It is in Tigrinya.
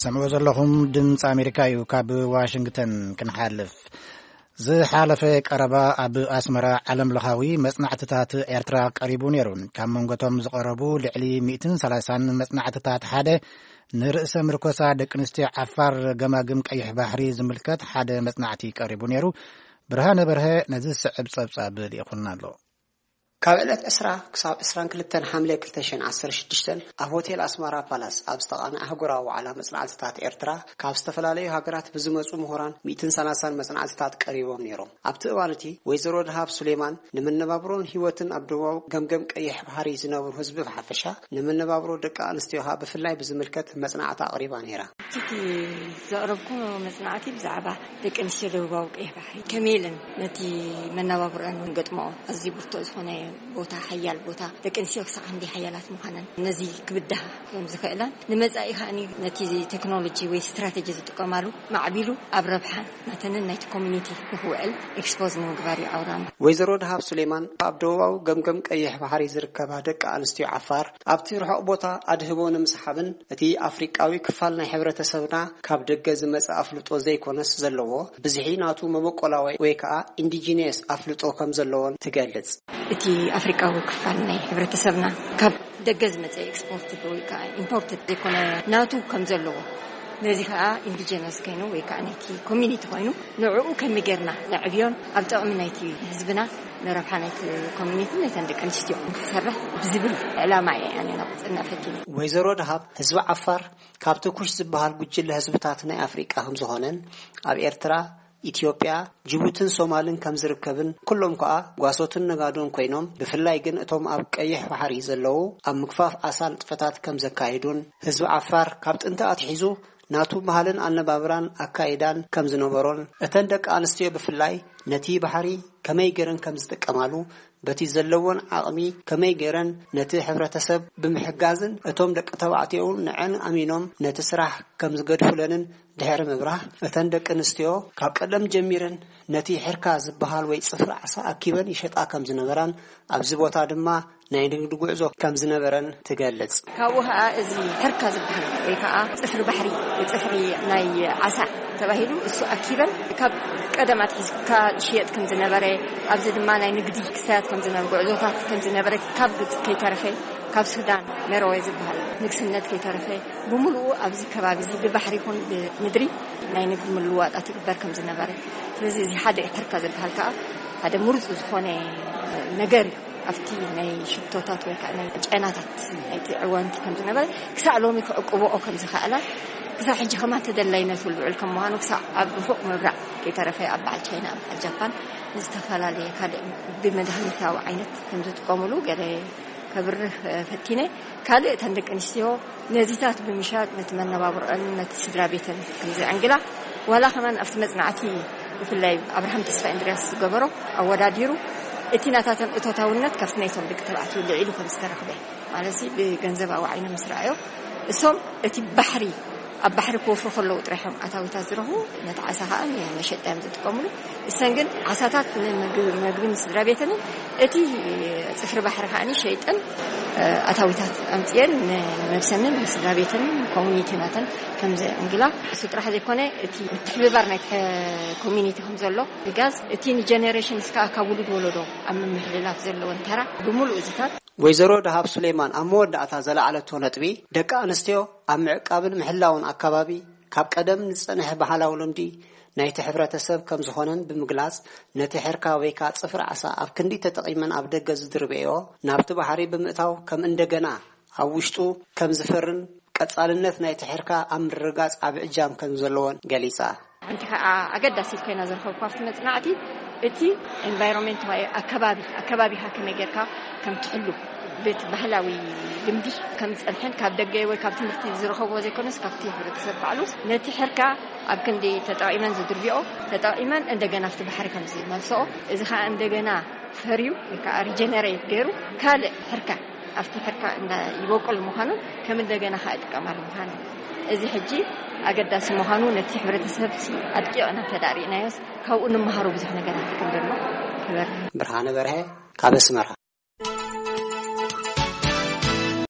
ሰምዑ ዘለኹም ድምፂ ኣሜሪካ እዩ። ካብ ዋሽንግተን ክንሓልፍ፣ ዝሓለፈ ቀረባ ኣብ ኣስመራ ዓለም ለኻዊ መጽናዕትታት ኤርትራ ቀሪቡ ነይሩ። ካብ መንጎቶም ዝቐረቡ ልዕሊ ሚእትን ሰላሳን መጽናዕትታት ሓደ፣ ንርእሰ ምርኮሳ ደቂ ኣንስትዮ ዓፋር ገማግም ቀይሕ ባሕሪ ዝምልከት ሓደ መጽናዕቲ ቀሪቡ ነይሩ። ብርሃነ በርሀ ነዚ ዝስዕብ ጸብጻብ ልኢኹልና ኣሎ። ካብ ዕለት ዕስራ ክሳብ ዕስራን ክልተን ሓምለ ክልተ ሽሕን ዓሰርተ ሽዱሽተን ኣብ ሆቴል ኣስመራ ፓላስ ኣብ ዝተቓነ ኣህጉራዊ ዋዕላ መጽናዕትታት ኤርትራ፣ ካብ ዝተፈላለዩ ሃገራት ብዝመጹ ምሁራን ሚእትን ሰላሳን መጽናዕትታት ቀሪቦም ነይሮም። ኣብቲ እዋን እቲ፣ ወይዘሮ ደሃብ ሱሌማን፣ ንመነባብሮን ህይወትን ኣብ ደቡባዊ ገምገም ቀይሕ ባሕሪ ዝነብሩ ህዝቢ ብሓፈሻ፣ ንመነባብሮ ደቂ ኣንስትዮ ከኣ ብፍላይ ብዝምልከት መጽናዕቲ ኣቕሪባ ነይራ። እቲ ዘቕረብኩ መጽናዕቲ ብዛዕባ ደቂ ኣንስትዮ ደቡባዊ ቀይሕ ባሕሪ ከመይ ኢለን ነቲ መነባብሮኣን ገጥመኦ ኣዝዩ ብርቱዕ ዝኾነ ቦታ፣ ሓያል ቦታ፣ ደቂ ኣንስትዮ ክሳዕ ክንደይ ሓያላት ምዃነን፣ ነዚ ክብድሃ ከም ዝኽእላን፣ ንመጻኢ ከኣ ነቲ ቴክኖሎጂ ወይ ስትራቴጂ ዝጥቀማሉ ማዕቢሉ ኣብ ረብሓ ናተንን ናይቲ ኮሚኒቲ ንኽውዕል ኤክስፖዝ ንምግባር እዩ ዓውዳና። ወይዘሮ ደሃብ ሱሌማን፣ ኣብ ደቡባዊ ገምገም ቀይሕ ባሕሪ ዝርከባ ደቂ ኣንስትዮ ዓፋር፣ ኣብቲ ርሑቕ ቦታ ኣድህቦ ንምስሓብን እቲ ኣፍሪቃዊ ክፋል ናይ ሕብረተሰብና ካብ ደገ ዝመጽእ ኣፍልጦ ዘይኮነስ ዘለዎ፣ ብዝሒ ናቱ መበቆላዊ ወይ ከኣ ኢንዲጂነስ ኣፍልጦ ከም ዘለዎን ትገልጽ። እቲ ኣፍሪቃዊ ክፋል ናይ ሕብረተሰብና ካብ ደገ ዝመጽእ ኤክስፖርት ወይ ከኣ ኢምፖርት ዘይኮነ፣ ናቱ ከም ዘለዎ፣ ነዚ ከኣ ኢንዲጂነስ ኮይኑ ወይ ከኣ ናይቲ ኮሚኒቲ ኮይኑ፣ ንዕኡ ከመይ ጌርና ነዕብዮን ኣብ ጥቕሚ ናይቲ ህዝብና፣ ንረብሓ ናይቲ ኮሚኒቲ፣ ነተን ደቂ ኣንስትዮ ንክሰርሕ ብዝብል ዕላማ እየ ኣነ ናብ ጽና ፈቲነ። ወይዘሮ ደሃብ፣ ህዝቢ ዓፋር ካብቲ ኩሽ ዝበሃል ጉጅለ ህዝብታት ናይ ኣፍሪቃ ከም ዝኾነን፣ ኣብ ኤርትራ፣ ኢትዮጵያ፣ ጅቡትን ሶማልን ከም ዝርከብን፣ ኩሎም ከኣ ጓሶትን ነጋዶን ኮይኖም፣ ብፍላይ ግን እቶም ኣብ ቀይሕ ባሕሪ ዘለዉ ኣብ ምግፋፍ ዓሳ ንጥፈታት ከም ዘካየዱን፣ ህዝቢ ዓፋር ካብ ጥንቲ ኣትሒዙ ናቱ ባህልን ኣነባብራን ኣካይዳን ከም ዝነበሮን፣ እተን ደቂ ኣንስትዮ ብፍላይ ነቲ ባሕሪ ከመይ ገይረን ከም ዝጥቀማሉ፣ በቲ ዘለወን ዓቕሚ ከመይ ገይረን ነቲ ሕብረተሰብ ብምሕጋዝን፣ እቶም ደቂ ተባዕትዮ እውን ንዐን ኣሚኖም ነቲ ስራሕ ከም ዝገድፉለንን ድሕሪ ምብራህ፣ እተን ደቂ ኣንስትዮ ካብ ቀደም ጀሚረን ነቲ ሕርካ ዝበሃል ወይ ጽፍሪ ዓሳ ኣኪበን ይሸጣ ከም ዝነበራን፣ ኣብዚ ቦታ ድማ ናይ ንግዲ ጉዕዞ ከም ዝነበረን ትገልጽ። ካብኡ ኸኣ እዚ ሕርካ ዝበሃል ወይ ከኣ ጽፍሪ ባሕሪ፣ ጽፍሪ ናይ ዓሳ ተባሂሉ፣ እሱ ኣኪበን ካብ ቀደም ኣትሒዝካ ዝሽየጥ ከም ዝነበረ፣ ኣብዚ ድማ ናይ ንግዲ ክስታያት ከም ዝነበረ፣ ጉዕዞታት ከም ዝነበረ፣ ካብ ግብጺ ከይተረፈ፣ ካብ ሱዳን፣ መረወ ዝበሃል ንግስነት ከይተረፈ፣ ብምሉኡ ኣብዚ ከባቢ እዚ ብባሕሪ ይኹን ብምድሪ ናይ ንግዲ ምልውዋጣት ይግበር ከም ዝነበረ። ስለዚ እዚ ሓደ ሕርካ ዝበሃል ከኣ ሓደ ምሩጽ ዝኾነ ነገር እዩ። ኣብቲ ናይ ሽቶታት ወይ ከኣ ናይ ጨናታት ናይቲ ዕዋንቲ ከም ዝነበረ፣ ክሳዕ ሎሚ ክዕቅብኦ ከም ዝኸኣላ፣ ክሳዕ ሕጂ ከማን ተደላይነቱ ልዑል ከም ምዃኑ፣ ክሳዕ ኣብ ርሑቕ ምብራቕ ከይተረፈ ኣብ በዓል ቻይና፣ ኣብ በዓል ጃፓን፣ ንዝተፈላለየ ካልእ ብመድሃኒታዊ ዓይነት ከም ዝጥቀሙሉ ገለ ከብርህ፣ እ፣ ፈቲነ። ካልእ እተን ደቂ ኣንስትዮ ነዚታት ብምሻጥ ነቲ መነባብሮኣን ነቲ ስድራ ቤተን ከም ዘዕንግላ፣ ዋላ ከማን ኣብቲ መጽናዕቲ ብፍላይ ኣብርሃም ተስፋ እንድርያስ ዝገበሮ ኣወዳዲሩ፣ እቲ ናታተን እቶታውነት ካብቲ ናይቶም ደቂ ተባዕትዮ ልዒሉ ከም ዝተረኽበ፣ ማለትሲ ብገንዘባዊ ዓይኒ ምስ ረኣዮ፣ እሶም እቲ ባሕሪ፣ ኣብ ባሕሪ ክወፍሩ ከለዉ ጥራይ እዮም ኣታዊታት ዝረኽቡ፣ ነቲ ዓሳ ከኣ ንመሸጣ እዮም ዝጥቀምሉ። እሰን ግን ዓሳታት ንምግቢ፣ መግቢ ንስድራ ቤተንን እቲ ጽፍሪ ባሕሪ ከኣ ሸይጠን፣ እ፣ ኣታዊታት ኣምጽኤን ንነብሰንን ንስድራ ቤተንን ኮሚኒቲ ናተን ከም ዘዕንግላ፣ እሱ ጥራሕ ዘይኮነ፣ እቲ ምትሕብባር ናይ ኮሚኒቲ ከም ዘሎ ምሕጋዝ፣ እቲ ንጀነሬሽንስ ከኣ ካብ ውሉድ ወለዶ ኣብ ምምሕልላፍ ዘለወን ተራ ብምሉእ እዚታት። ወይዘሮ ደሃብ ሱሌማን ኣብ መወዳእታ ዘለዓለቶ ነጥቢ፣ ደቂ ኣንስትዮ ኣብ ምዕቃብን ምሕላውን ኣከባቢ ካብ ቀደም ዝጸንሐ ባህላዊ ልምዲ ናይቲ ሕብረተሰብ ከም ዝኾነን ብምግላጽ፣ ነቲ ሕርካ ወይ ከኣ ጽፍሪ ዓሳ ኣብ ክንዲ ተጠቒመን ኣብ ደገ ዝድርበዮ፣ ናብቲ ባሕሪ ብምእታው ከም እንደገና ኣብ ውሽጡ ከም ዝፈርን ቀጻልነት ናይቲ ሕርካ ኣብ ምርግጋጽ ዓቢ እጃም ከም ዘለዎን ገሊጻ። ሓንቲ ከኣ ኣገዳሲት ኮይና ዝረኸብኳ ኣብቲ መጽናዕቲ፣ እቲ ኤንቫይሮንመንት ወይ ኣከባቢ፣ ኣከባቢኻ ከመይ ጌርካ ከም ትሕሉ፣ በቲ ባህላዊ ልምዲ ከም ዝጸንሐን ካብ ደገ ወይ ካብ ትምህርቲ ዝረኸብዎ ዘይኮነስ ካብቲ ሕብረተሰብ ባዕሉ ነቲ ሕርካ ኣብ ክንዲ ተጠቒመን ዝድርብዮ፣ ተጠቒመን እንደገና ኣብቲ ባሕሪ ከም ዝመልስኦ፣ እዚ ከኣ እንደገና ፈርዩ ወይ ከኣ ሪጀነሬት ገይሩ ካልእ ሕርካ ኣብቲ ሕርካ እንዳ ይበቁል ምዃኑን ከም እንደገና ከኣ ይጥቀማሉ ምዃኑ፣ እዚ ሕጂ ኣገዳሲ ምዃኑ ነቲ ሕብረተሰብ ሲ ኣድቂቕና እንተ ደኣ ርኢናዮስ ካብኡ ንምሃሮ ብዙሕ ነገራት ከም ዘሎ ክበርህ። ብርሃነ በርሀ ካብ ኣስመራ።